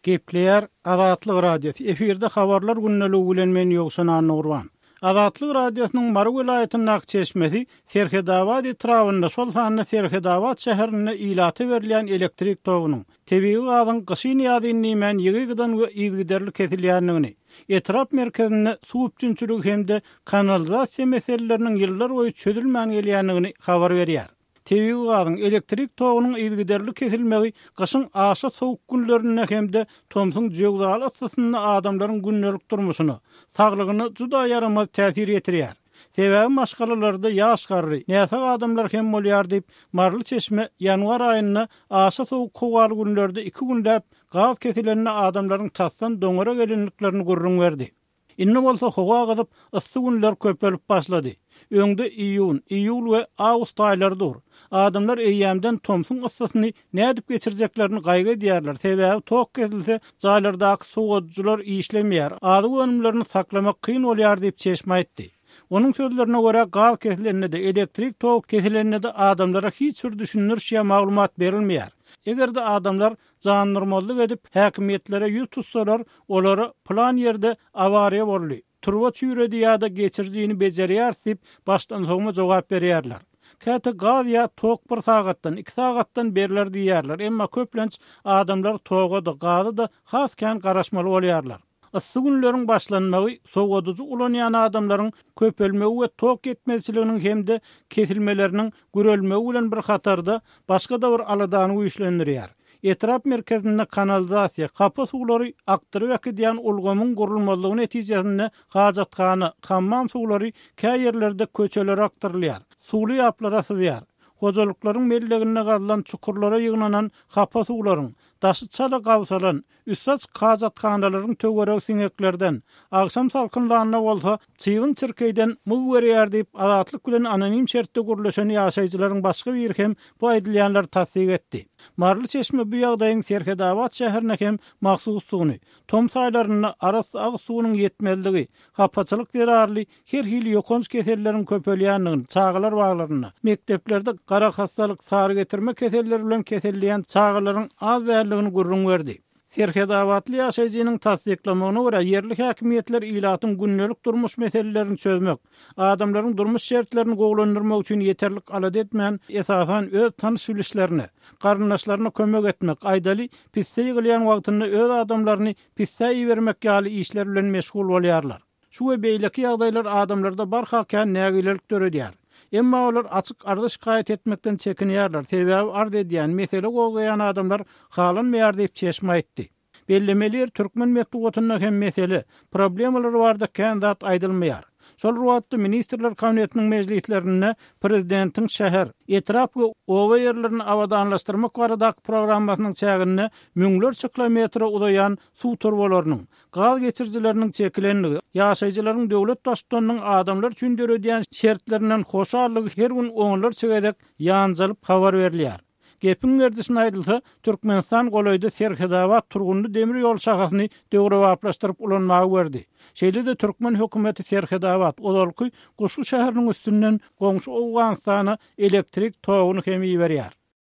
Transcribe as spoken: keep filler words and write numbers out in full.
Gepleýär Azatlyk Radiosy. Efirde habarlar gündeligi bilen men Ýowşan Annagurban. Azatlyk Radiosynyň Mary welaýatyndaky çeşmesi Serhetabat etrabynda, şol sanda Serhetabat şäherinde ilata berilýän elektrik togunyň, tebigy gazyň gyşyn-ýazyn diýmän ýygy-ýygydan we yzygiderli kesilýändigini, etrap merkezinde suw üpjünçiligi hem-de kanalizasiýa meseleleriniň ýyllarboýy çözülmän gelýändigini habar berýär. Tebigy gazyň, elektrik togunyň yzygiderli kesilmegi gyşyň aşa sowuk günlerinde hem-de tomsuň jöwzaly yssysynda adamlaryň gündelik durmuşyna, saglygyna juda ýaramaz täsir ýetirýär. Sebäbi maşgalalarda ýaş-garry, näsag adamlar hem bolýar diýip, maryly çeşme ýanwar aýynda aşa sowuk howaly günlerde iki günläp gaz kesilende adamlaryň tasdan doňara gelendiklerini gürrüň berdi. Indi bolsa howa gyzyp, yssy günler köpelip başlady. Öňde iýun, iýul we awgust aýlary dur. Adamlar eýýämden tomsuň yssysyny nädip geçirjeklerini gaýgy edýärler, sebäbi tok kesilse, jaýlardaky sowadyjylar işlemeýär, azyk önümlerini saklamak kyn bolýar diýip, çeşme aýtdy. Onuň sözlerine görä, gaz kesilende-de, elektrik togy kesilende-de adamlara hiç bir düşündiriş ýa maglumat berilmeýär. Eger-de adamlar jandurmazlyk edip, häkimiýetlere ýüz tutsalar, olara pylan ýerde awariýa boldy, turba çüýredi ýa-da geçirijini bejerýäris diýip, başdansowma jogap berýärler. Käte gaz ýa tok bir sagatdan, iki sagatdan berler diýýärler, emma köplenç adamlar toga-da, gaza-da has kän garaşmaly bolýarlar. Yssy günleriň başlanmagy sowadyjy ulanýan adamlaryň köpelmegi we tok ýetmezçiliginiň hem-de kesilmeleriniň gürelmegi bilen bir hatarda başga-da bir aladany güýçlendirýär. Etrap merkezinde kanalizasiýa, hapa suwlary akdyryp äkidýän ulgamyň gurulmazlygy netijesinde hajathana, hammam suwlary kä ýerlerde köçelere akdyrylýar, suwly ýaplara syzýar. Hojalyklaryň melleginde gazylan çukurlara ýygnanan hapa suwlaryň, daşy çala gabsalan, üsti açyk hajathanalaryň töweregi siňeklerden, agşam salkynlanda bolsa çybyn-çirkeýden myg berýär diýip, Azatlyk bilen anonim şertde gürleşen ýaşaýjylaryň başga biri hem bu aýdylýanlary tassyk etdi. Maryly çeşme bu ýagdaýyň Serhetabat şäherine hem mahsusdygyny, tomus aýlarynda arassa agyz suwunyň ýetmezligi, hapaçylyk zerarly her hili ýokanç keselleriň köpelýändigini, çagalar baglarynda, mekdeplerde garahassalyk, sarygetirme keselleri bilen keselleýän çagalaryň az däldigini gürrüň berdi. Serhetabatly ýaşaýjynyň tassyklamagyna görä, ýerli häkimiýetler ilatyň gündelik durmuş meselelerini çözmek, adamlaryň durmuş şertlerini gowulandyrmak üçin ýeterlik alada etmän, esasan öz tanyş-bilişlerine, garyndaşlaryna kömek etmek, aýdaly, pisse ýygylýan wagtynda öz adamlaryny pisse ibermek ýaly işler bilen meşgul bolýarlar. Şu we beýleki ýagdaýlar adamlarda barha kän nägilelik döredýär. Emma olar açyk arza-şikaýat etmekden çekinýärler, sebäbi arz edýän, mesele gozgaýan adamlar halanmaýar diýip, çeşme aýtdy. Bellemeli ýeri, türkmen metbugatynda hem mesele, problemalar barada kän zat aýdylmaýar. Şol bir wagtda Ministrler Kabinetiniň mejlislerinde prezidentiň şäher, etrap we oba ýerlerini abadanlaşdyrmak baradaky programmasynyň çäginde müňlerçe kilometre uzaýan suw turbalarynyň, gaz geçirijileriniň çekilendigi, ýaşaýjylaryň döwlet Baştutanynyň adamlar üçin döredýän şertlerinden hoşallygy her gün onlarça gezek ýanjalyp habar berilýär. Gepiň gerdişine aýdylsa, Türkmenistan golaýda Serhetabat Turgundy demir ýol şahasyny döwrebaplaşdyryp ulanmaga berdi. Şeýle-de türkmen hökümeti Serhetabat, ozalky Guşgy şäheriniň üstünden goňşy Owganystana elektrik toguny hem iberýär.